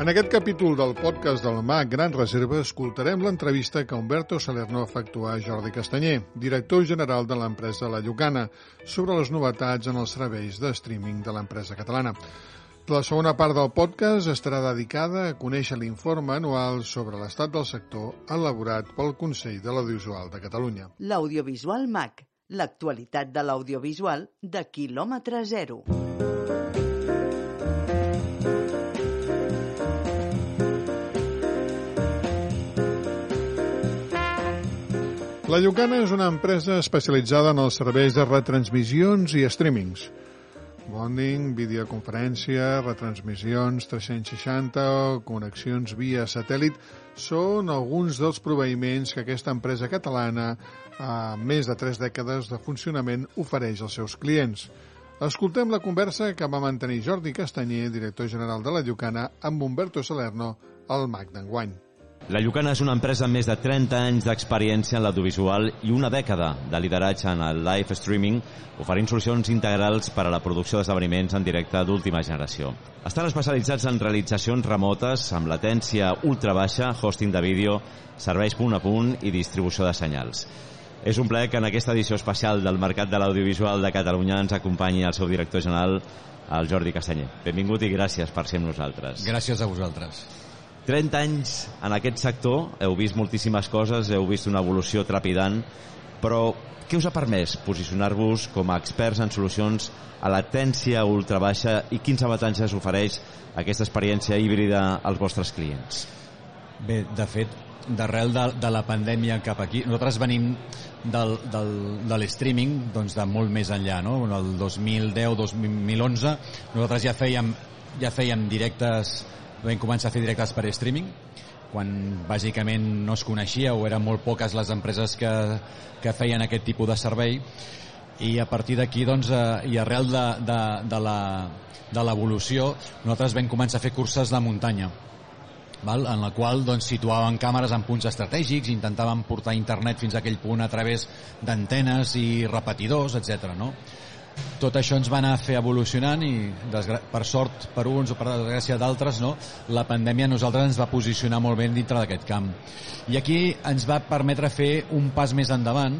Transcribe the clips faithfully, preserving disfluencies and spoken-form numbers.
En aquest capítol del podcast del M A C Gran Reserva escoltarem l'entrevista que Humberto Salerno efectuà a Jordi Castanyer, director general de l'empresa La Llucana, sobre les novetats en els serveis de streaming de l'empresa catalana. La segona part del podcast estarà dedicada a conèixer l'informe anual sobre l'estat del sector elaborat pel Consell de l'Audiovisual de Catalunya. L'Audiovisual M A C, l'actualitat de l'audiovisual de quilòmetre zero. La Llucana és una empresa especialitzada en els serveis de retransmissions i streamings. Bonding, videoconferència, retransmissions tres-cents seixanta o connexions via satèl·lit són alguns dels proveïments que aquesta empresa catalana, a més de tres dècades de funcionament, ofereix als seus clients. Escoltem la conversa que va mantenir Jordi Castanyer, director general de La Llucana, amb Humberto Salerno, al M A C d'enguany. La Llucana és una empresa amb més de trenta anys d'experiència en l'audiovisual i una dècada de lideratge en el live streaming, oferint solucions integrals per a la producció d'esdeveniments en directe d'última generació. Estan especialitzats en realitzacions remotes amb latència ultra baixa, hosting de vídeo, serveis punt a punt i distribució de senyals. És un plaer que en aquesta edició especial del Mercat de l'Audiovisual de Catalunya ens acompanyi el seu director general, el Jordi Castanyer. Benvingut i gràcies per ser amb nosaltres. Gràcies a vosaltres. trenta anys en aquest sector, heu vist moltíssimes coses, heu vist una evolució trepidant, però què us ha permès posicionar-vos com a experts en solucions a latència ultra baixa i quins avantatges ofereix aquesta experiència híbrida als vostres clients? Bé, de fet, d'arrel de, de la pandèmia cap aquí, nosaltres venim del, del, de l'streaming doncs de molt més enllà, no? El dos mil deu dos mil onze nosaltres ja fèiem, ja fèiem directes. Vam començar a fer directes per streaming, quan bàsicament no es coneixia o eren molt poques les empreses que, que feien aquest tipus de servei, i a partir d'aquí, doncs, eh, i arrel de, de, de la, de l'evolució, nosaltres vam començar a fer curses de muntanya, val? En la qual doncs, situàvem càmeres en punts estratègics, intentàvem portar internet fins a aquell punt a través d'antenes i repetidors, etcètera, no? Tot això ens va anar a fer evolucionant i, per sort per uns o per desgràcia d'altres, no? La pandèmia a nosaltres ens va posicionar molt bé dintre d'aquest camp. I aquí ens va permetre fer un pas més endavant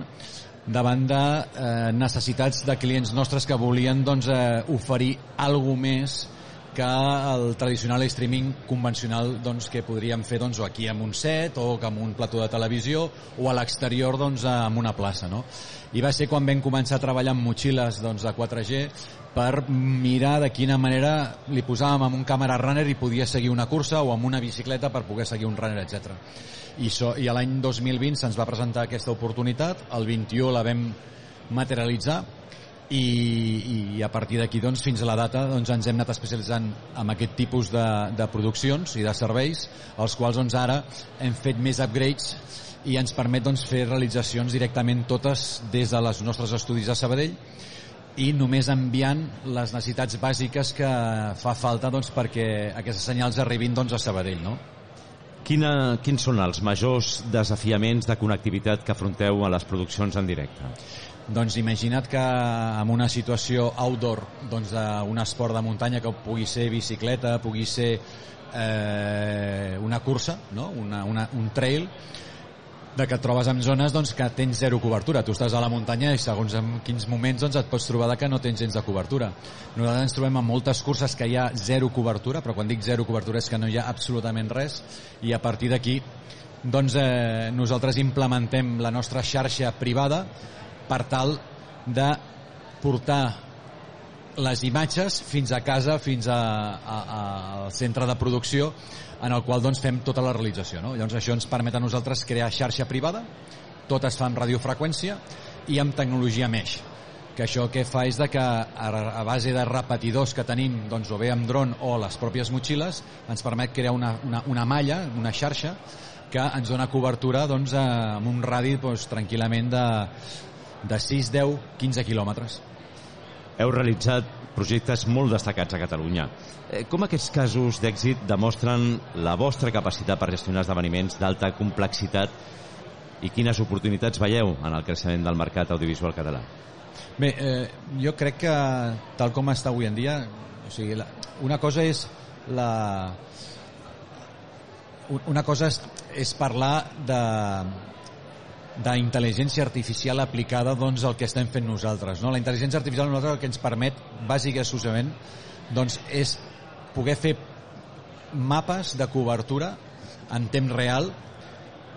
davant de eh, necessitats de clients nostres que volien doncs, eh, oferir alguna més que el tradicional streaming convencional doncs, que podríem fer doncs, o aquí amb un set o amb un plató de televisió o a l'exterior doncs, amb una plaça, no? I va ser quan vam començar a treballar amb motxilles doncs, de quatre G per mirar de quina manera li posàvem amb un càmera runner i podia seguir una cursa o amb una bicicleta per poder seguir un runner, etcètera. I, so, i l'any dos mil vint se'ns va presentar aquesta oportunitat, el vint-i-u la vam materialitzar i, i a partir d'aquí doncs, fins a la data doncs, ens hem anat especialitzant en aquest tipus de, de produccions i de serveis, els quals doncs, ara hem fet més upgrades i ens permet doncs, fer realitzacions directament totes des de les nostres estudis a Sabadell i només enviant les necessitats bàsiques que fa falta doncs, perquè aquestes senyals arribin doncs, a Sabadell, no? Quina, quins són els majors desafiaments de connectivitat que afronteu a les produccions en directe? Doncs imagina't que en una situació outdoor doncs, d'un esport de muntanya que pugui ser bicicleta, pugui ser eh, una cursa, no? una, una, un trail, de que et trobes en zones doncs, que tens zero cobertura. Tu estàs a la muntanya i segons en quins moments doncs, et pots trobar que no tens gens de cobertura. Nosaltres ens trobem en moltes curses que hi ha zero cobertura, però quan dic zero cobertura és que no hi ha absolutament res, i a partir d'aquí doncs, eh, nosaltres implementem la nostra xarxa privada per tal de portar les imatges fins a casa, fins a, a, a, al centre de producció, en el qual doncs, fem tota la realització, no? Llavors això ens permet a nosaltres crear xarxa privada, tot es fa amb radiofreqüència i amb tecnologia mesh, que això que fa és de que a, a base de repetidors que tenim doncs, o bé amb dron o les pròpies motxilles ens permet crear una, una, una malla, una xarxa que ens dona cobertura doncs, amb un radi doncs, tranquil·lament de, de sis, deu, quinze quilòmetres. Heu realitzat projectes molt destacats a Catalunya. Com aquests casos d'èxit demostren la vostra capacitat per gestionar esdeveniments d'alta complexitat i quines oportunitats veieu en el creixement del mercat audiovisual català? Bé, eh, jo crec que tal com està avui en dia, o sigui, la, una cosa és la, una cosa és, és parlar de d'intel·ligència artificial aplicada doncs, al que estem fent nosaltres. No? La intel·ligència artificial nosaltres el que ens permet, bàsicament i exclusivament, doncs, és poder fer mapes de cobertura en temps real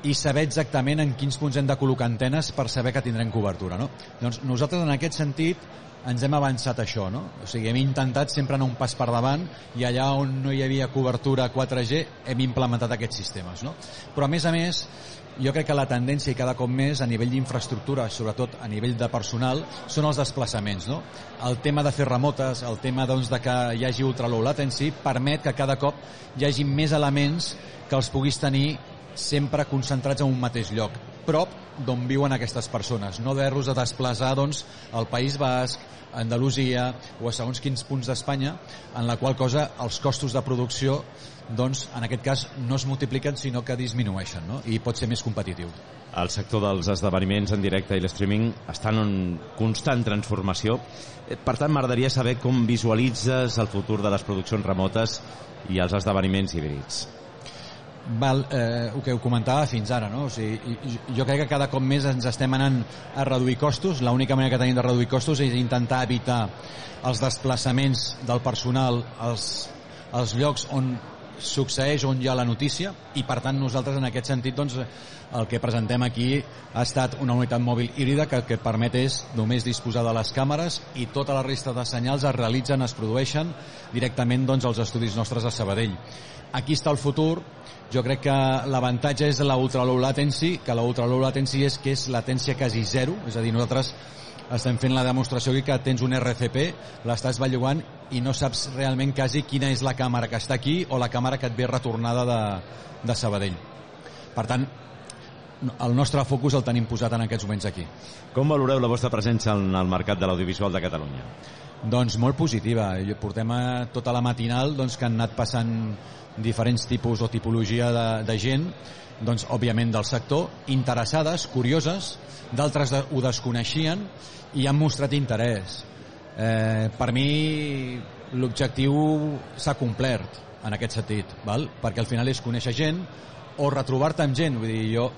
i saber exactament en quins punts hem de col·locar antenes per saber que tindrem cobertura. No? Doncs nosaltres, en aquest sentit, ens hem avançat això. No? O sigui, hem intentat sempre anar un pas per davant i allà on no hi havia cobertura quatre G hem implementat aquests sistemes. No? Però, a més a més, jo crec que la tendència i cada cop més a nivell d'infraestructura, sobretot a nivell de personal, són els desplaçaments. No? El tema de fer remotes, el tema doncs, de que hi hagi ultra low latency, permet que cada cop hi hagi més elements que els puguis tenir sempre concentrats en un mateix lloc, prop d'on viuen aquestes persones, no haver-los de desplaçar doncs, al País Basc, a Andalusia o a segons quins punts d'Espanya, en la qual cosa els costos de producció doncs, en aquest cas no es multipliquen sinó que disminueixen, no? I pot ser més competitiu. El sector dels esdeveniments en directe i l'streaming estan en constant transformació. Per tant, m'agradaria saber com visualitzes el futur de les produccions remotes i els esdeveniments híbrids. Val, eh, el que ho comentava fins ara, no? O sigui, jo crec que cada cop més ens estem anant a reduir costos. L'única manera que tenim de reduir costos és intentar evitar els desplaçaments del personal als, als llocs on succeeix, on hi ha la notícia, i per tant nosaltres en aquest sentit doncs, el que presentem aquí ha estat una unitat mòbil híbrida que el que permet és només disposar de les càmeres i tota la resta de senyals es realitzen, es produeixen directament doncs, als estudis nostres a Sabadell. Aquí està el futur. Jo crec que l'avantatge és la ultra low latency, que la ultra low latency és que és latència quasi zero, és a dir, nosaltres estem fent la demostració aquí que tens un R C P, l'estàs bellugant i no saps realment quasi quina és la càmera que està aquí o la càmera que et ve retornada de, de Sabadell. Per tant, el nostre focus el tenim posat en aquests moments aquí. Com valoreu la vostra presència en el mercat de l'audiovisual de Catalunya? Doncs molt positiva. Portem tota la matinal doncs, que han anat passant diferents tipus o tipologia de, de gent, doncs, òbviament del sector, interessades, curioses, d'altres de, ho desconeixien i han mostrat interès. Eh, per mi l'objectiu s'ha complert en aquest sentit, val? Perquè al final és conèixer gent o retrobar-te amb gent. Vull dir, jo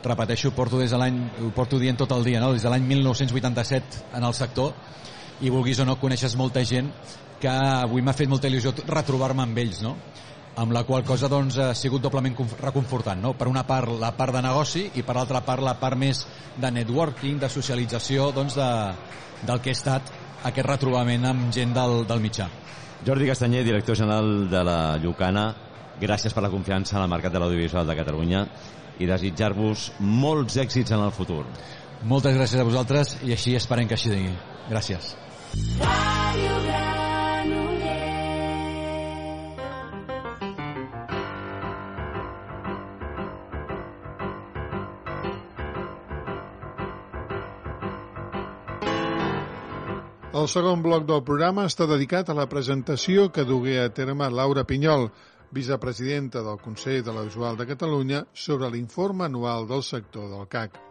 repeteixo, porto des de l'any, ho porto dient tot el dia, no? Des de l'any mil nou-cents vuitanta-set en el sector, i vulguis o no coneixes molta gent que avui m'ha fet molta il·lusió retrobar-me amb ells, no? Amb la qual cosa doncs, ha sigut doblement reconfortant, no? Per una part la part de negoci i per l'altra part la part més de networking, de socialització doncs, de, del que ha estat aquest retrobament amb gent del, del mitjà. Jordi Castanyer, director general de la Llucana, gràcies per la confiança en el mercat de l'audiovisual de Catalunya i desitjar-vos molts èxits en el futur. Moltes gràcies a vosaltres i així esperem que així digui. Gràcies. El segon bloc del programa està dedicat a la presentació que dugué a terme Laura Pinyol, vicepresidenta del Consell de l'Audiovisual de Catalunya, sobre l'informe anual del sector del C A C.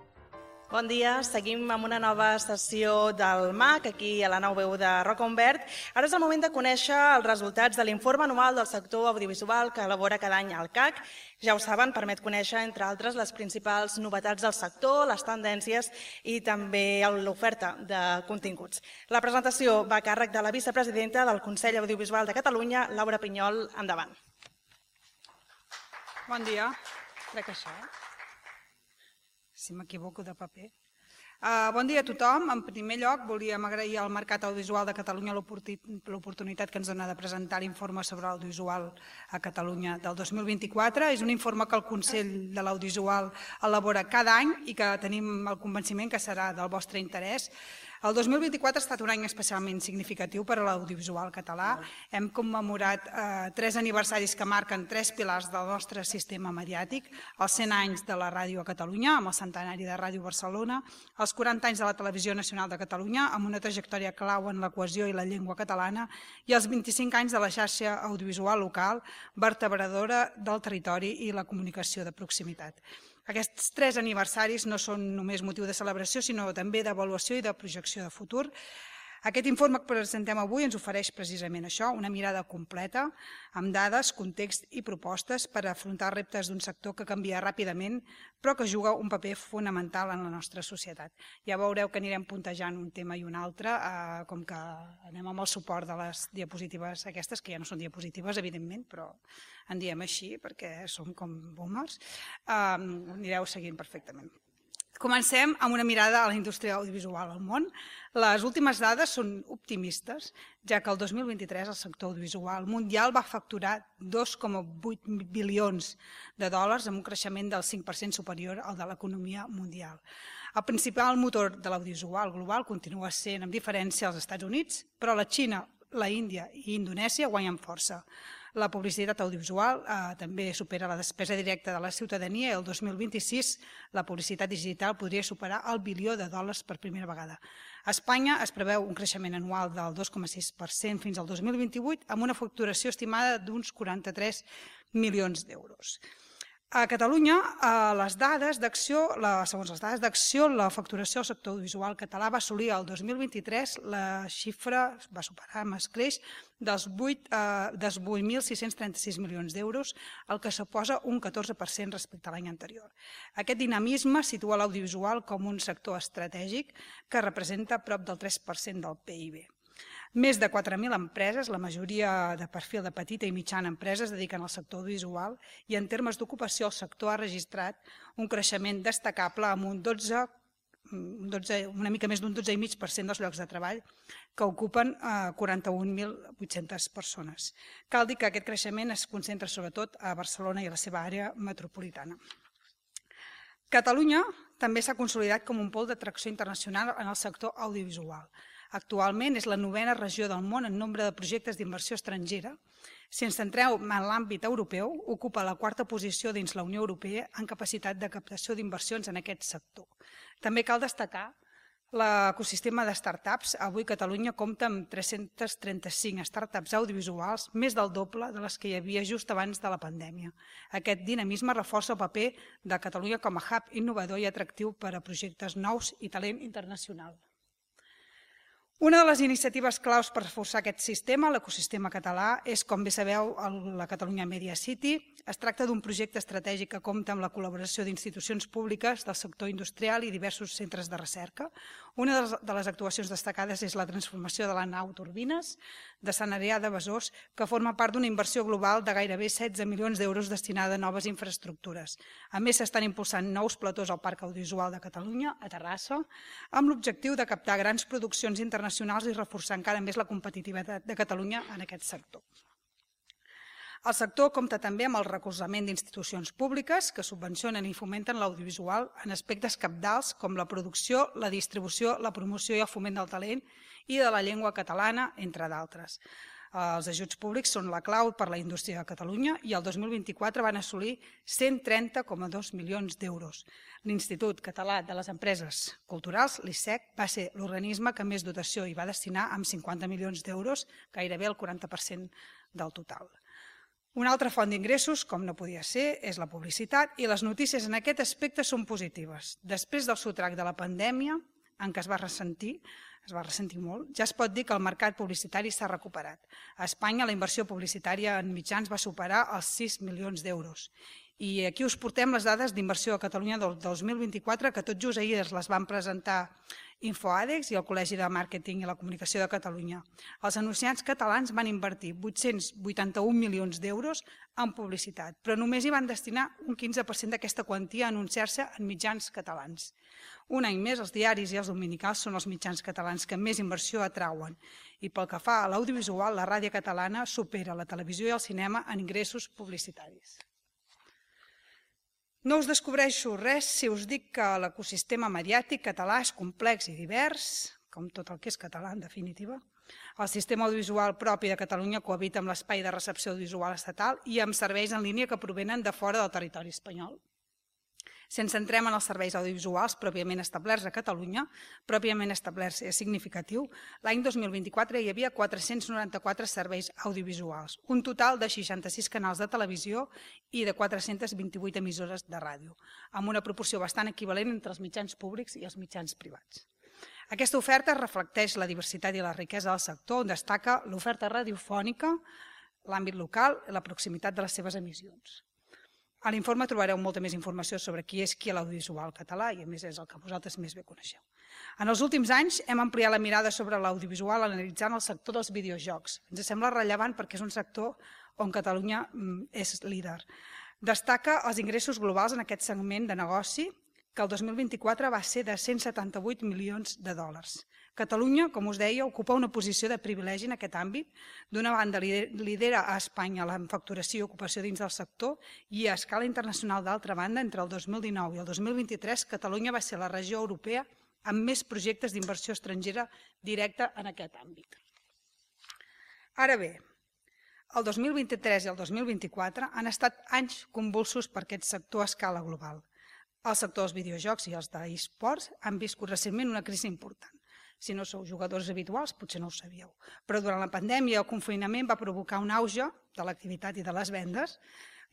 Bon dia, seguim amb una nova sessió del M A C, aquí a la nou veu de Roca Umbert. Ara és el moment de conèixer els resultats de l'informe anual del sector audiovisual que elabora cada any el C A C. Ja ho saben, permet conèixer, entre altres, les principals novetats del sector, les tendències i també l'oferta de continguts. La presentació va a càrrec de la vicepresidenta del Consell Audiovisual de Catalunya, Laura Pinyol. Endavant. Bon dia. Crec que això, eh? Si m'equivoco de paper. Uh, bon dia a tothom. En primer lloc, volíem agrair al Mercat Audiovisual de Catalunya l'oportunitat que ens dona de presentar l'informe sobre l'audiovisual a Catalunya del dos mil vint-i-quatre. És un informe que el Consell de l'Audiovisual elabora cada any i que tenim el convenciment que serà del vostre interès. El dos mil vint-i-quatre ha estat un any especialment significatiu per a l'audiovisual català. Hem commemorat eh, tres aniversaris que marquen tres pilars del nostre sistema mediàtic, els cent anys de la ràdio a Catalunya, amb el centenari de Ràdio Barcelona, els quaranta anys de la Televisió Nacional de Catalunya, amb una trajectòria clau en la cohesió i la llengua catalana, i els vint-i-cinc anys de la xarxa audiovisual local, vertebradora del territori i la comunicació de proximitat. Aquests tres aniversaris no són només motiu de celebració, sinó també d'avaluació i de projecció de futur. Aquest informe que presentem avui ens ofereix precisament això, una mirada completa, amb dades, context i propostes per afrontar reptes d'un sector que canvia ràpidament, però que juga un paper fonamental en la nostra societat. Ja veureu que anirem puntejant un tema i un altre, eh, com que anem amb el suport de les diapositives aquestes, que ja no són diapositives, evidentment, però en diem així perquè som com boomers, eh, anireu seguint perfectament. Comencem amb una mirada a la indústria audiovisual al món. Les últimes dades són optimistes, ja que el dos mil vint-i-tres el sector audiovisual mundial va facturar dos coma vuit bilions de dòlars amb un creixement del cinc per cent superior al de l'economia mundial. El principal motor de l'audiovisual global continua sent, amb diferència, als Estats Units, però la Xina, la Índia i Indonèsia guanyen força. La publicitat audiovisual eh, també supera la despesa directa de la ciutadania i el dos mil vint-i-sis la publicitat digital podria superar el bilió de dòlars per primera vegada. A Espanya es preveu un creixement anual del dos coma sis per cent fins al dos mil vint-i-vuit amb una facturació estimada d'uns quaranta-tres milions d'euros. A Catalunya, les dades d'acció, segons les dades d'acció, la facturació del sector audiovisual català va assolir el dos mil vint-i-tres la xifra, va superar amb escreix, dels vuit mil sis-cents trenta-sis milions d'euros, el que suposa un catorze per cent respecte a l'any anterior. Aquest dinamisme situa l'audiovisual com un sector estratègic que representa prop del tres per cent del P I B. Més de quatre mil empreses, la majoria de perfil de petita i mitjana empreses, dediquen al sector audiovisual i en termes d'ocupació el sector ha registrat un creixement destacable amb un dotze, una mica més d'un dotze coma cinc per cent dels llocs de treball que ocupen quaranta-un mil vuit-centes persones. Cal dir que aquest creixement es concentra sobretot a Barcelona i a la seva àrea metropolitana. Catalunya també s'ha consolidat com un pol d'atracció internacional en el sector audiovisual. Actualment és la novena regió del món en nombre de projectes d'inversió estrangera. Si ens centreu en l'àmbit europeu, ocupa la quarta posició dins la Unió Europea en capacitat de captació d'inversions en aquest sector. També cal destacar l'ecosistema de startups. Avui Catalunya compta amb tres-centes trenta-cinc startups audiovisuals, més del doble de les que hi havia just abans de la pandèmia. Aquest dinamisme reforça el paper de Catalunya com a hub innovador i atractiu per a projectes nous i talent internacional. Una de les iniciatives claus per reforçar aquest sistema, l'ecosistema català, és, com bé sabeu, la Catalunya Media City. Es tracta d'un projecte estratègic que compta amb la col·laboració d'institucions públiques del sector industrial i diversos centres de recerca. Una de les actuacions destacades és la transformació de la nau Turbines de Sant Adrià de Besòs, que forma part d'una inversió global de gairebé setze milions d'euros destinada a noves infraestructures. A més, s'estan impulsant nous platós al Parc Audiovisual de Catalunya, a Terrassa, amb l'objectiu de captar grans produccions internacionals i reforçar encara més la competitivitat de Catalunya en aquest sector. El sector compta també amb el recolzament d'institucions públiques que subvencionen i fomenten l'audiovisual en aspectes cabdals com la producció, la distribució, la promoció i el foment del talent i de la llengua catalana, entre d'altres. Els ajuts públics són la clau per a la indústria de Catalunya i el dos mil vint-i-quatre van assolir cent trenta coma dos milions d'euros. L'Institut Català de les Empreses Culturals, l'I S E C, va ser l'organisme que més dotació hi va destinar amb cinquanta milions d'euros, gairebé el quaranta per cent del total. Una altra font d'ingressos, com no podia ser, és la publicitat i les notícies en aquest aspecte són positives. Després del sotrac de la pandèmia, en què es va ressentir, es va ressentir molt, ja es pot dir que el mercat publicitari s'ha recuperat. A Espanya la inversió publicitària en mitjans va superar els sis milions d'euros. I aquí us portem les dades d'inversió a Catalunya del dos mil vint-i-quatre, que tot just ahir les van presentar InfoAdex i el Col·legi de Màrqueting i la Comunicació de Catalunya. Els anunciants catalans van invertir vuit-cents vuitanta-un milions d'euros en publicitat, però només hi van destinar un quinze per cent d'aquesta quantia a anunciar-se en mitjans catalans. Un any més, els diaris i els dominicals són els mitjans catalans que més inversió atrauen. I pel que fa a l'audiovisual, la ràdio catalana supera la televisió i el cinema en ingressos publicitaris. No us descobreixo res si us dic que l'ecosistema mediàtic català és complex i divers, com tot el que és català en definitiva. El sistema audiovisual propi de Catalunya cohabita amb l'espai de recepció audiovisual estatal i amb serveis en línia que provenen de fora del territori espanyol. Si ens centrem en els serveis audiovisuals pròpiament establerts a Catalunya, pròpiament establerts és significatiu, l'any dos mil vint-i-quatre hi havia quatre-cents noranta-quatre serveis audiovisuals, un total de seixanta-sis canals de televisió i de quatre-centes vint-i-vuit emissores de ràdio, amb una proporció bastant equivalent entre els mitjans públics i els mitjans privats. Aquesta oferta reflecteix la diversitat i la riquesa del sector, on destaca l'oferta radiofònica, l'àmbit local i la proximitat de les seves emissions. A l'informe trobareu molta més informació sobre qui és qui a l'audiovisual català i a més és el que vosaltres més bé coneixeu. En els últims anys hem ampliat la mirada sobre l'audiovisual analitzant el sector dels videojocs. Ens sembla rellevant perquè és un sector on Catalunya és líder. Destaca els ingressos globals en aquest segment de negoci, que el dos mil vint-i-quatre va ser de cent setanta-vuit milions de dòlars. Catalunya, com us deia, ocupa una posició de privilegi en aquest àmbit. D'una banda, lidera a Espanya la facturació i ocupació dins del sector i a escala internacional, d'altra banda, entre el dos mil dinou i el dos mil vint-i-tres, Catalunya va ser la regió europea amb més projectes d'inversió estrangera directa en aquest àmbit. Ara bé, el dos mil vint-i-tres i el dos mil vint-i-quatre han estat anys convulsos per aquest sector a escala global. El sector dels videojocs i els d'eSports han viscut recentment una crisi important. Si no sou jugadors habituals, potser no ho sabíeu. Però durant la pandèmia, el confinament va provocar un auge de l'activitat i de les vendes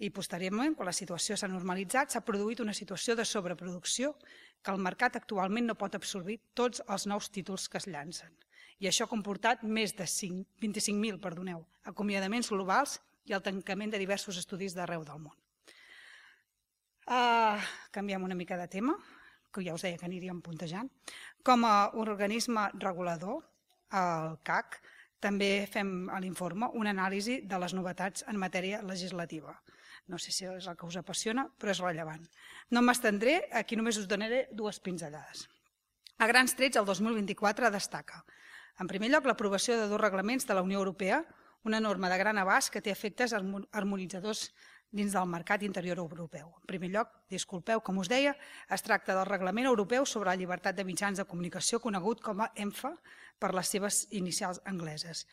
i posteriorment, quan la situació s'ha normalitzat, s'ha produït una situació de sobreproducció que el mercat actualment no pot absorbir tots els nous títols que es llancen. I això ha comportat més de vint-i-cinc mil acomiadaments globals i el tancament de diversos estudis d'arreu del món. Uh, canviem una mica de tema, que ja us deia que aniríem puntejant. Com a organisme regulador, el C A C, també fem a l'informe una anàlisi de les novetats en matèria legislativa. No sé si és el que us apassiona, però és rellevant. No m'estendré, aquí només us donaré dues pinzellades. A grans trets, el dos mil vint-i-quatre destaca, en primer lloc, l'aprovació de dos reglaments de la Unió Europea, una norma de gran abast que té efectes harmonitzadors dins del mercat interior europeu. En primer lloc, disculpeu, com us deia, es tracta del Reglament Europeu sobre la llibertat de mitjans de comunicació, conegut com a ENFA per les seves inicials angleses.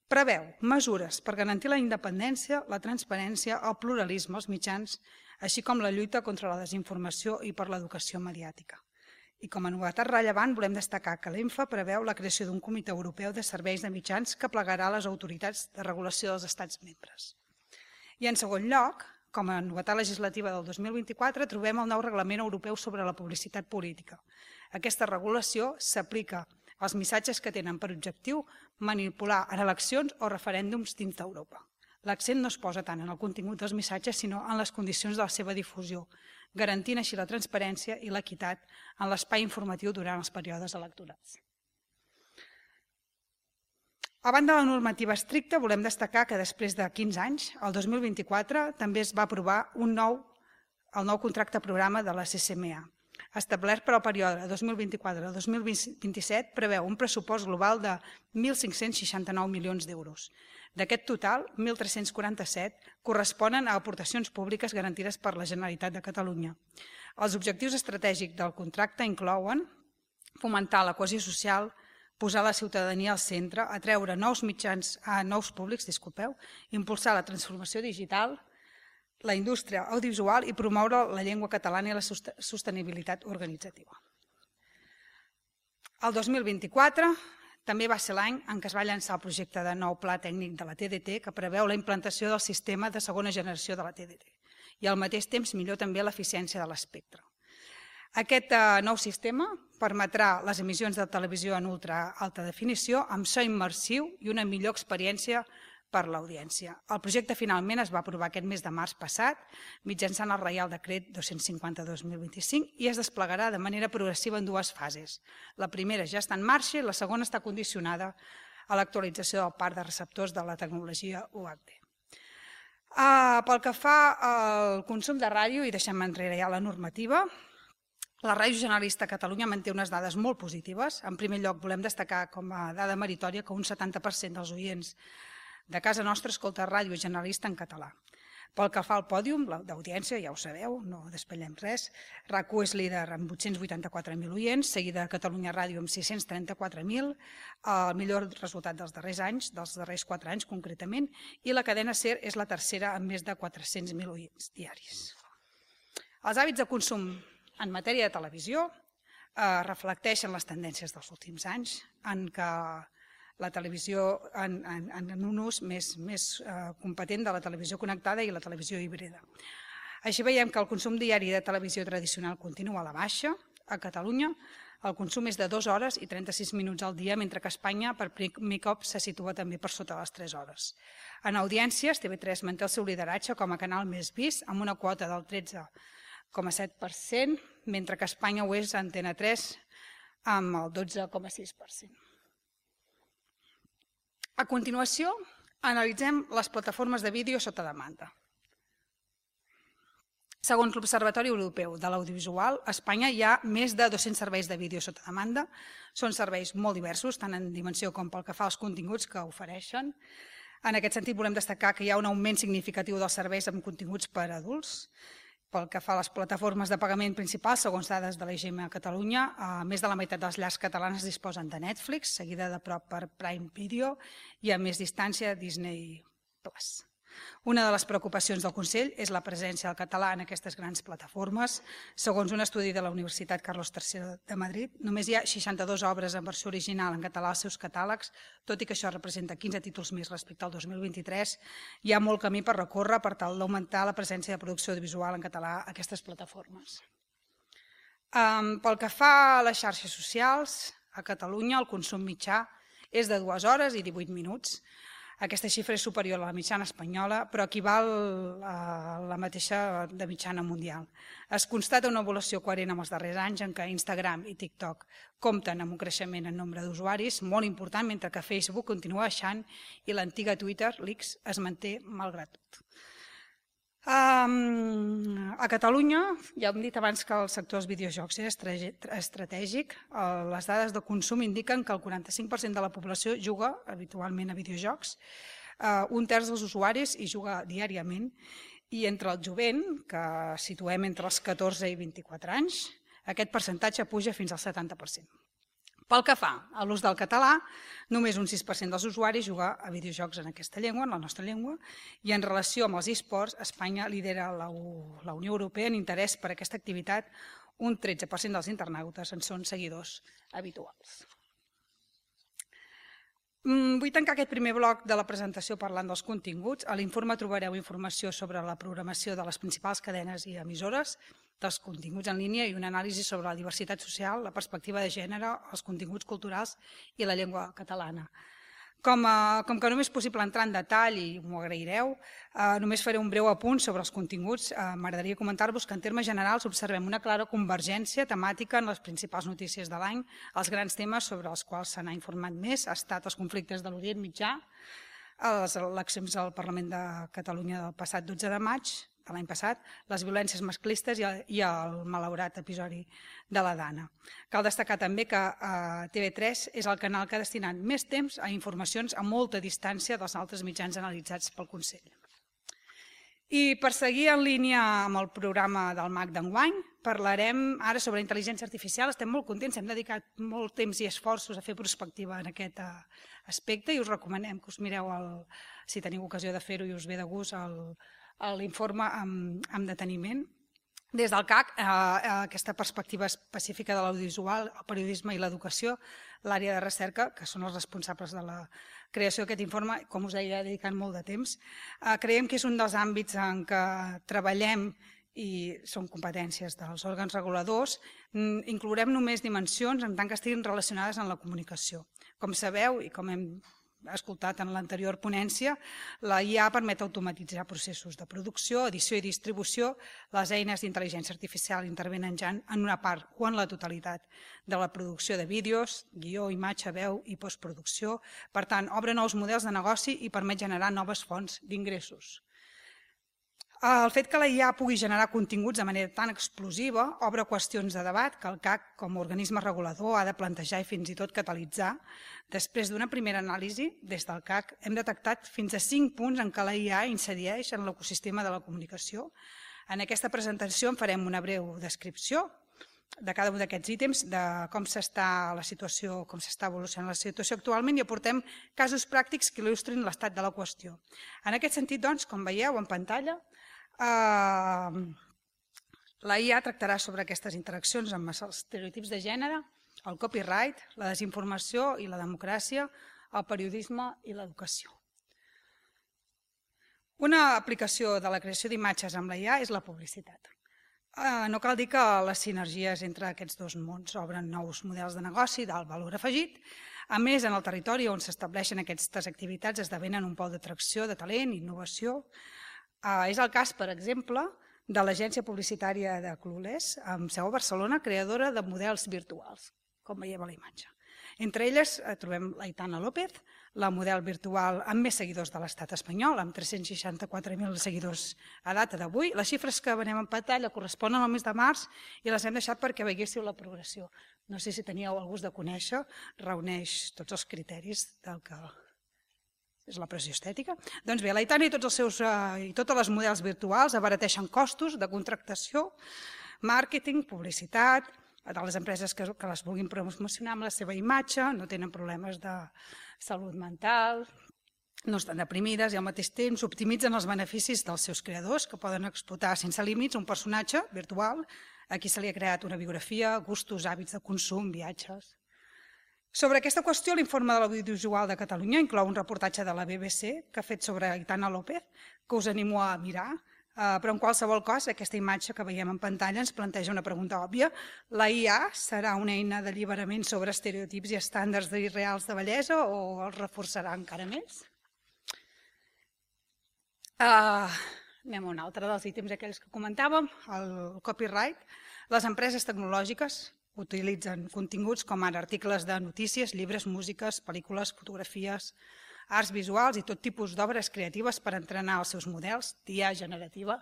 Preveu mesures per garantir la independència, la transparència, el pluralisme als mitjans, així com la lluita contra la desinformació i per l'educació mediàtica. I com a novetat rellevant volem destacar que l'ENFA preveu la creació d'un comitè europeu de serveis de mitjans que plegarà les autoritats de regulació dels estats membres. I en segon lloc, com a novetat legislativa del dos mil vint-i-quatre, trobem el nou Reglament Europeu sobre la publicitat política. Aquesta regulació s'aplica als missatges que tenen per objectiu manipular en eleccions o referèndums dins d'Europa. L'accent no es posa tant en el contingut dels missatges, sinó en les condicions de la seva difusió, garantint així la transparència i l'equitat en l'espai informatiu durant els períodes electorals. A banda de la normativa estricta, volem destacar que després de quinze anys, el dos mil vint-i-quatre, també es va aprovar un nou, el nou contracte programa de la C C M A. Establert per al període dos mil vint-i-quatre a dos mil vint-i-set, preveu un pressupost global de mil cinc-cents seixanta-nou milions d'euros. D'aquest total, mil tres-cents quaranta-set corresponen a aportacions públiques garantides per la Generalitat de Catalunya. Els objectius estratègics del contracte inclouen fomentar la cohesió social, posar la ciutadania al centre, atreure nous mitjans a nous públics, disculpeu, impulsar la transformació digital, la indústria audiovisual i promoure la llengua catalana i la sostenibilitat organitzativa. El dos mil vint-i-quatre també va ser l'any en què es va llançar el projecte de nou pla tècnic de la T D T que preveu la implantació del sistema de segona generació de la T D T i al mateix temps millor també l'eficiència de l'espectre. Aquest nou sistema permetrà les emissions de televisió en ultra alta definició amb so immersiu i una millor experiència per l'audiència. El projecte finalment es va aprovar aquest mes de març passat mitjançant el Reial Decret dos-cents cinquanta-dos mil vint-i-cinc i es desplegarà de manera progressiva en dues fases. La primera ja està en marxa i la segona està condicionada a l'actualització del parc de receptors de la tecnologia U H D. Pel que fa al consum de ràdio, i deixem enrere ja la normativa, la Ràdio Generalista a Catalunya manté unes dades molt positives. En primer lloc, volem destacar com a dada meritòria que un setanta per cent dels oients de casa nostra escolta Ràdio Generalista en català. Pel que fa al pòdium d'audiència, ja ho sabeu, no despellem res, RAC u és líder amb vuit-cents vuitanta-quatre mil oients, seguida de Catalunya Ràdio amb sis-cents trenta-quatre mil, el millor resultat dels darrers anys, dels darrers quatre anys concretament, i la cadena SER és la tercera amb més de quatre-cents mil oients diaris. Els hàbits de consum en matèria de televisió reflecteixen les tendències dels últims anys en què la televisió en un ús més competent de la televisió connectada i la televisió híbrida. Així veiem que el consum diari de televisió tradicional continua a la baixa a Catalunya. El consum és de dues hores i trenta-sis minuts al dia, mentre que a Espanya per primer cop se situa també per sota les tres hores. En audiències, T V tres manté el seu lideratge com a canal més vist, amb una quota del tretze coma set per cent, mentre que a Espanya ho és Antena tres amb el dotze coma sis per cent. A continuació, analitzem les plataformes de vídeo sota demanda. Segons l'Observatori Europeu de l'Audiovisual, a Espanya hi ha més de dos-cents serveis de vídeo sota demanda. Són serveis molt diversos, tant en dimensió com pel que fa als continguts que ofereixen. En aquest sentit, volem destacar que hi ha un augment significatiu dels serveis amb continguts per a adults. Pel que fa a les plataformes de pagament principals, segons dades de l'I G M a Catalunya, més de la meitat dels llars catalanes disposen de Netflix, seguida de prop per Prime Video i a més distància Disney Plus. Una de les preocupacions del Consell és la presència del català en aquestes grans plataformes. Segons un estudi de la Universitat Carlos tercer de Madrid, només hi ha seixanta-dues obres en versió original en català als seus catàlegs, tot i que això representa quinze títols més respecte al dos mil vint-i-tres. Hi ha molt camí per recórrer per tal d'augmentar la presència de producció audiovisual en català a aquestes plataformes. Pel que fa a les xarxes socials, a Catalunya el consum mitjà és de dues hores i divuit minuts. Aquesta xifra és superior a la mitjana espanyola, però equival a la mateixa de mitjana mundial. Es constata una evolució coherent amb els darrers anys en què Instagram i TikTok compten amb un creixement en nombre d'usuaris molt important, mentre que Facebook continua baixant i l'antiga Twitter, l'X, es manté malgrat tot. A Catalunya, ja hem dit abans que el sector dels videojocs és estratègic. Les dades de consum indiquen que el quaranta-cinc per cent de la població juga habitualment a videojocs, un terç dels usuaris hi juga diàriament, i entre el jovent, que situem entre els catorze i vint-i-quatre anys, aquest percentatge puja fins al setanta per cent. Pel que fa a l'ús del català, només un sis per cent dels usuaris juga a videojocs en aquesta llengua, en la nostra llengua, i en relació amb els esports, Espanya lidera la Unió Europea en interès per aquesta activitat. Un tretze per cent dels internautes en són seguidors habituals. Vull tancar aquest primer bloc de la presentació parlant dels continguts. A l'informe trobareu informació sobre la programació de les principals cadenes i emissores, dels continguts en línia i una anàlisi sobre la diversitat social, la perspectiva de gènere, els continguts culturals i la llengua catalana. Com que no m'és possible entrar en detall, i m'ho agraireu, només faré un breu apunt sobre els continguts. M'agradaria comentar-vos que en termes generals observem una clara convergència temàtica en les principals notícies de l'any. Els grans temes sobre els quals se n'ha informat més han estat els conflictes de l'Orient Mitjà, les eleccions al Parlament de Catalunya del passat dotze de maig, de l'any passat, les violències masclistes i el malaurat episodi de la Dana. Cal destacar també que T V tres és el canal que ha destinat més temps a informacions a molta distància dels altres mitjans analitzats pel Consell. I per seguir en línia amb el programa del M A C d'enguany, parlarem ara sobre intel·ligència artificial. Estem molt contents, hem dedicat molt temps i esforços a fer prospectiva en aquest aspecte i us recomanem que us mireu, si teniu ocasió de fer-ho i us ve de gust, l'informe amb deteniment. Des del C A C, aquesta perspectiva específica de l'audiovisual, el periodisme i l'educació, l'àrea de recerca, que són els responsables de la creació d'aquest informe, com us deia, dedicant molt de temps, creiem que és un dels àmbits en què treballem i són competències dels òrgans reguladors. Inclourem només dimensions en tant que estiguin relacionades amb la comunicació. Com sabeu, i com hem escoltat en l'anterior ponència, la I A permet automatitzar processos de producció, edició i distribució. Les eines d'intel·ligència artificial intervenen ja en una part o en la totalitat de la producció de vídeos, guió, imatge, veu i postproducció. Per tant, obre nous models de negoci i permet generar noves fonts d'ingressos. El fet que la I A pugui generar continguts de manera tan explosiva obre qüestions de debat que el C A C, com a organisme regulador, ha de plantejar i fins i tot catalitzar. Després d'una primera anàlisi, des del C A C, hem detectat fins a cinc punts en què la I A incideix en l'ecosistema de la comunicació. En aquesta presentació en farem una breu descripció de cada un d'aquests ítems, de com s'està la situació, com s'està evolucionant la situació actualment, i aportem casos pràctics que il·lustrin l'estat de la qüestió. En aquest sentit, doncs, com veieu en pantalla, la I A tractarà sobre aquestes interaccions amb els estereotips de gènere, el copyright, la desinformació i la democràcia, el periodisme i l'educació. Una aplicació de la creació d'imatges amb la I A és la publicitat. No cal dir que les sinergies entre aquests dos mons obren nous models de negoci d'alt valor afegit. A més, en el territori on s'estableixen aquestes activitats esdevenen un pol d'atracció de talent i innovació. És el cas, per exemple, de l'agència publicitària de Clueless, amb seu a Barcelona, creadora de models virtuals, com veiem a la imatge. Entre elles trobem l'Aitana López, la model virtual amb més seguidors de l'estat espanyol, amb tres-cents seixanta-quatre mil seguidors a data d'avui. Les xifres que venem en pantalla corresponen al mes de març i les hem deixat perquè veiéssiu la progressió. No sé si teníeu el gust de conèixer, reuneix tots els criteris del que és la pressió estètica. Doncs bé, l'Aitana i tots els seus i totes les models virtuals abarateixen costos de contractació, màrqueting, publicitat, de les empreses que les vulguin promocionar amb la seva imatge, no tenen problemes de salut mental, no estan deprimides i al mateix temps optimitzen els beneficis dels seus creadors que poden explotar sense límits un personatge virtual a qui se li ha creat una biografia, gustos, hàbits de consum, viatges. Sobre aquesta qüestió, l'informe de l'Audiovisual de Catalunya inclou un reportatge de la B B C que ha fet sobre Aitana López, que us animo a mirar. Però en qualsevol cas, aquesta imatge que veiem en pantalla ens planteja una pregunta òbvia. La I A serà una eina d'alliberament sobre estereotips i estàndards irreals de bellesa o els reforçarà encara més? Anem a un altre dels ítems aquells que comentàvem, el copyright. Les empreses tecnològiques utilitzen continguts com ara articles de notícies, llibres, músiques, pel·lícules, fotografies, arts visuals i tot tipus d'obres creatives per entrenar els seus models d'I A generativa.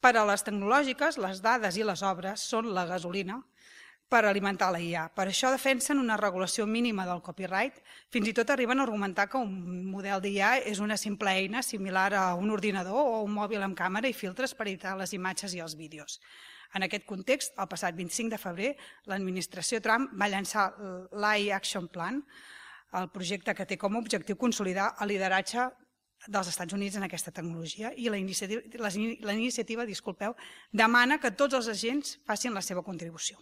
Per a les tecnològiques, les dades i les obres són la gasolina per alimentar la I A. Per això defensen una regulació mínima del copyright. Fins i tot arriben a argumentar que un model d'I A és una simple eina similar a un ordinador o un mòbil amb càmera i filtres per editar les imatges i els vídeos. En aquest context, el passat vint-i-cinc de febrer, l'administració Trump va llançar l'A I Action Plan, el projecte que té com a objectiu consolidar el lideratge dels Estats Units en aquesta tecnologia i la iniciativa, la iniciativa disculpeu, demana que tots els agents facin la seva contribució.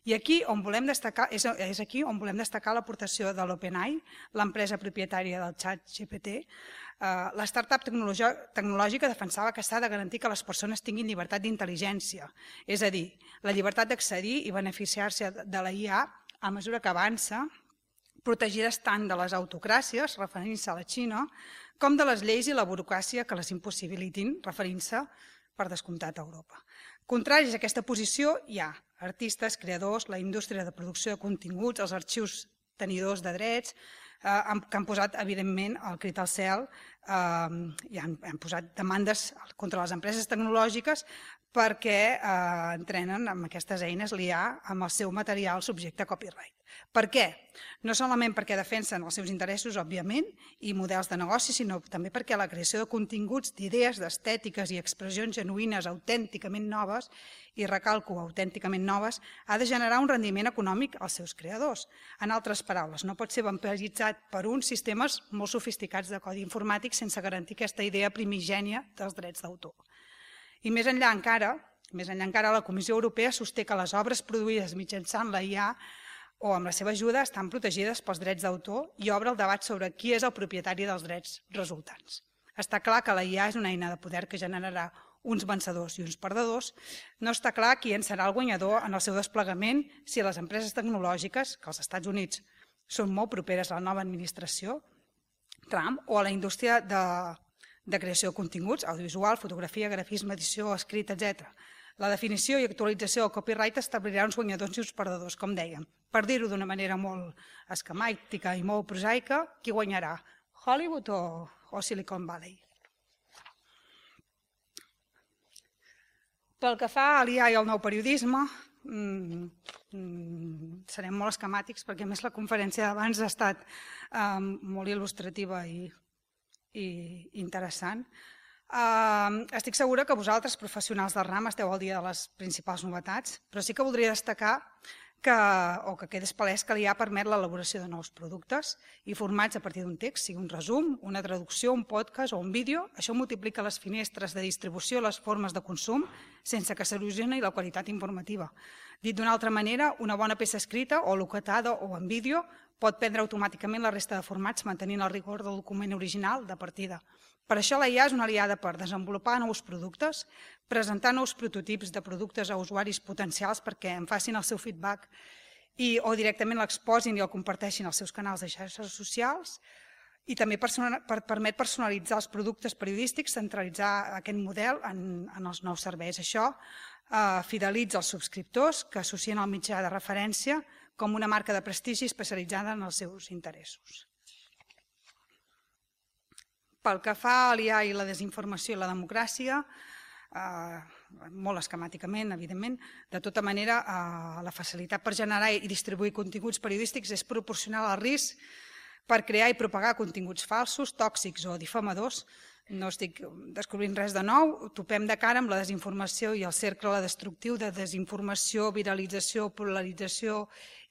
I aquí on volem destacar, és, és aquí on volem destacar l'aportació de l'OpenAI, l'empresa propietària del xat G P T. Uh, la startup tecnològica defensava que s'ha de garantir que les persones tinguin llibertat d'intel·ligència, és a dir, la llibertat d'accedir i beneficiar-se de la I A a mesura que avança, protegides tant de les autocràcies, referint-se a la Xina, com de les lleis i la burocràcia que les impossibilitin, referint-se, per descomptat, a Europa. Contraris a aquesta posició, hi ha artistes, creadors, la indústria de producció de continguts, els arxius tenidors de drets, eh, que han posat, evidentment, el crit al cel eh, i han, han posat demandes contra les empreses tecnològiques perquè eh, entrenen amb aquestes eines l'I A amb el seu material subjecte a copyright. Per què? No solament perquè defensen els seus interessos, òbviament, i models de negoci, sinó també perquè la creació de continguts, d'idees, d'estètiques i expressions genuïnes, autènticament noves, i recalco, autènticament noves, ha de generar un rendiment econòmic als seus creadors. En altres paraules, no pot ser vampiritzat per uns sistemes molt sofisticats de codi informàtic sense garantir aquesta idea primigènia dels drets d'autor. I més enllà encara, més enllà encara, la Comissió Europea sosté que les obres produïdes mitjançant la I A o amb la seva ajuda estan protegides pels drets d'autor i obre el debat sobre qui és el propietari dels drets resultants. Està clar que la I A és una eina de poder que generarà uns vencedors i uns perdedors. No està clar qui en serà el guanyador en el seu desplegament si les empreses tecnològiques, que als Estats Units són molt properes a la nova administració, Trump, o a la indústria de de creació de continguts, audiovisual, fotografia, grafisme, edició, escrit, etcètera. La definició i actualització del copyright establirà uns guanyadors i uns perdedors, com dèiem. Per dir-ho d'una manera molt esquemàtica i molt prosaica, qui guanyarà? Hollywood o, o Silicon Valley? Pel que fa a l'I A i al nou periodisme, mm, mm, serem molt esquemàtics perquè a més la conferència d'abans ha estat eh, molt il·lustrativa i i interessant. Uh, estic segura que vosaltres, professionals del ram, esteu al dia de les principals novetats, però sí que voldria destacar que, o que quedés palès que l'I A permet l'elaboració de nous productes i formats a partir d'un text, sigui un resum, una traducció, un podcast o un vídeo. Això multiplica les finestres de distribució, les formes de consum, sense que s'erosioni la qualitat informativa. Dit d'una altra manera, una bona peça escrita o locutada o en vídeo pot prendre automàticament la resta de formats mantenint el rigor del document original de partida. Per això la I A és una aliada per desenvolupar nous productes, presentar nous prototips de productes a usuaris potencials perquè en facin el seu feedback i, o directament l'exposin i el comparteixin als seus canals de xarxes socials, i també per, permet personalitzar els productes periodístics, centralitzar aquest model en, en els nous serveis. Això eh, fidelitza els subscriptors que associen el mitjà de referència com una marca de prestigi especialitzada en els seus interessos. Pel que fa a l'I A i la desinformació i la democràcia, eh, molt esquemàticament, evidentment, de tota manera, eh, la facilitat per generar i distribuir continguts periodístics és proporcional al risc per crear i propagar continguts falsos, tòxics o difamadors. No estic descobrint res de nou, topem de cara amb la desinformació i el cercle destructiu de desinformació, viralització, polarització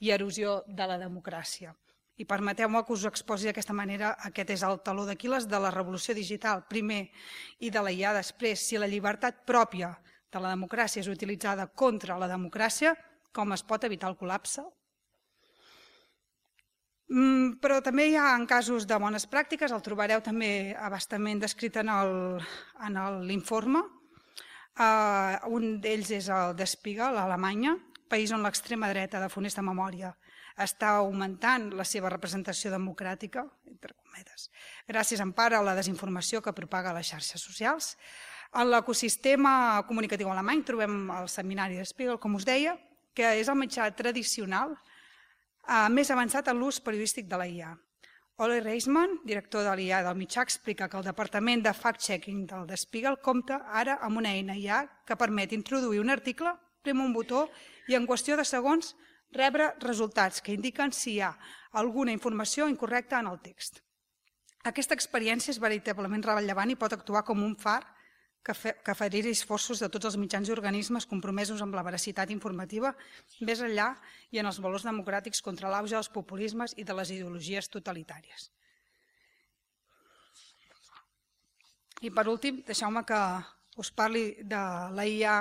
i erosió de la democràcia. I permeteu-me que us exposi d'aquesta manera, aquest és el taló d'Aquil·les de la revolució digital, primer, i de la I A després. Si la llibertat pròpia de la democràcia és utilitzada contra la democràcia, com es pot evitar el col·lapse? Però també hi ha en casos de bones pràctiques, el trobareu també abastament descrit en l'informe. Un d'ells és el de Spiegel, a Alemanya, país on l'extrema dreta de funesta memòria està augmentant la seva representació democràtica, entre cometes, gràcies en part a la desinformació que propaga a les xarxes socials. En l'ecosistema comunicatiu alemany trobem el seminari de Spiegel, com us deia, que és el mitjà tradicional més avançat en l'ús periodístic de la I A. Ole Reisman, director de l'I A del mitjà, explica que el departament de fact-checking del de Spiegel compta ara amb una eina I A que permet introduir un article, prem un botó i en qüestió de segons rebre resultats que indiquen si hi ha alguna informació incorrecta en el text. Aquesta experiència és veritablement rellevant i pot actuar com un far que aferiri esforços de tots els mitjans i organismes compromesos amb la veracitat informativa més enllà i en els valors democràtics contra l'auge dels populismes i de les ideologies totalitàries. I per últim, deixeu-me que us parli de la I A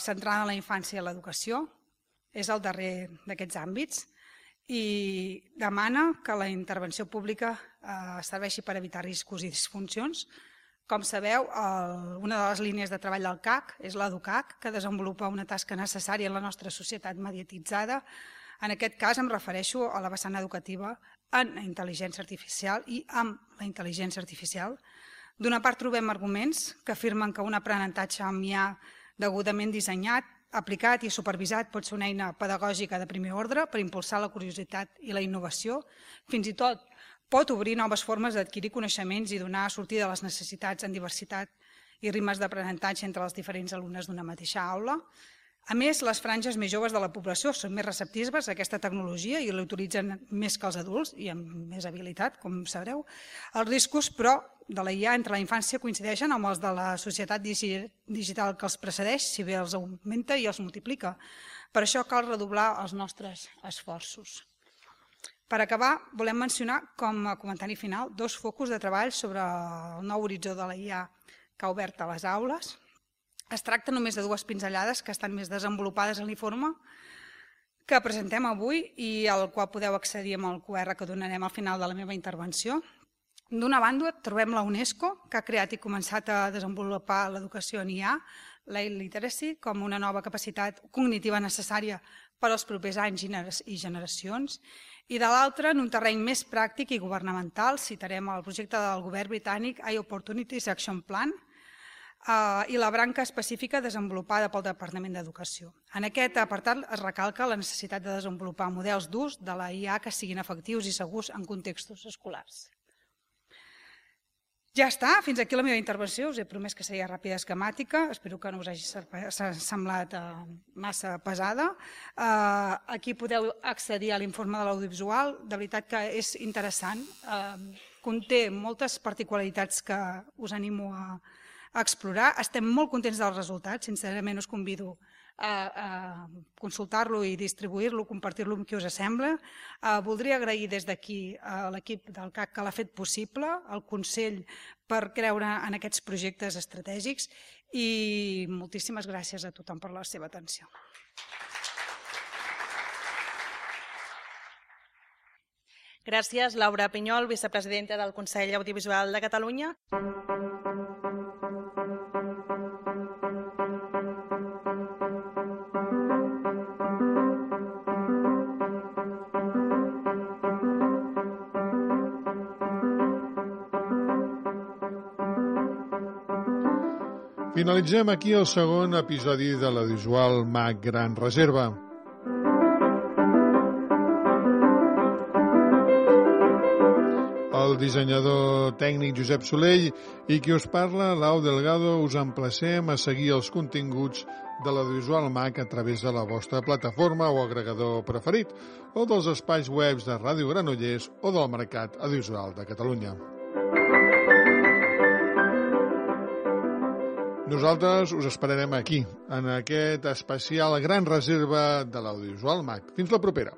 centrada en la infància i l'educació. És el darrer d'aquests àmbits i demana que la intervenció pública serveixi per evitar riscos i disfuncions. Com sabeu, una de les línies de treball del C A C és l'EduCAC, que desenvolupa una tasca necessària en la nostra societat mediatitzada. En aquest cas em refereixo a la vessant educativa en la intel·ligència artificial i amb la intel·ligència artificial. D'una part trobem arguments que afirmen que un aprenentatge amb I A degudament dissenyat, aplicat i supervisat pot ser una eina pedagògica de primer ordre per impulsar la curiositat i la innovació, fins i tot pot obrir noves formes d'adquirir coneixements i donar sortida a les necessitats en diversitat i ritmes d'aprenentatge entre els diferents alumnes d'una mateixa aula. A més, les franges més joves de la població són més receptives a aquesta tecnologia i l'utilitzen més que els adults i amb més habilitat, com sabreu. Els riscos, però, de la I A entre la infància coincideixen amb els de la societat digital que els precedeix, si bé els augmenta i els multiplica. Per això cal redoblar els nostres esforços. Per acabar, volem mencionar com a comentari final dos focus de treball sobre el nou horitzó de la I A que ha obert a les aules. Es tracta només de dues pinzellades que estan més desenvolupades en l'informe que presentem avui i al qual podeu accedir amb el Q R que donarem al final de la meva intervenció. D'una banda, trobem la UNESCO, que ha creat i començat a desenvolupar l'educació en I A, la literacy, com una nova capacitat cognitiva necessària per als propers anys i generacions. I de l'altra, en un terreny més pràctic i governamental, citarem el projecte del govern britànic iOpportunities Action Plan i la branca específica desenvolupada pel Departament d'Educació. En aquest apartat es recalca la necessitat de desenvolupar models d'ús de la I A que siguin efectius i segurs en contextos escolars. Ja està, fins aquí la meva intervenció. Us he promès que seria ràpida i esquemàtica. Espero que no us hagi semblat massa pesada. Aquí podeu accedir a l'informe de l'audiovisual. De veritat que és interessant. Conté moltes particularitats que us animo a explorar. Estem molt contents dels resultats. Sincerament us convido a consultar-lo i distribuir-lo, compartir-lo amb qui us sembla. Voldria agrair des d'aquí a l'equip del C A C que l'ha fet possible, al Consell per creure en aquests projectes estratègics i moltíssimes gràcies a tothom per la seva atenció. Gràcies, Laura Pinyol, vicepresidenta del Consell Audiovisual de Catalunya. Finalitzem aquí el segon episodi de l'audiovisual MAC Gran Reserva. El dissenyador tècnic Josep Solell i qui us parla, Lau Delgado, us emplacem a seguir els continguts de l'audiovisual MAC a través de la vostra plataforma o agregador preferit o dels espais webs de Ràdio Granollers o del Mercat Audiovisual de Catalunya. Nosaltres us esperarem aquí, en aquest especial Gran Reserva de l'audiovisual MAC. Fins la propera.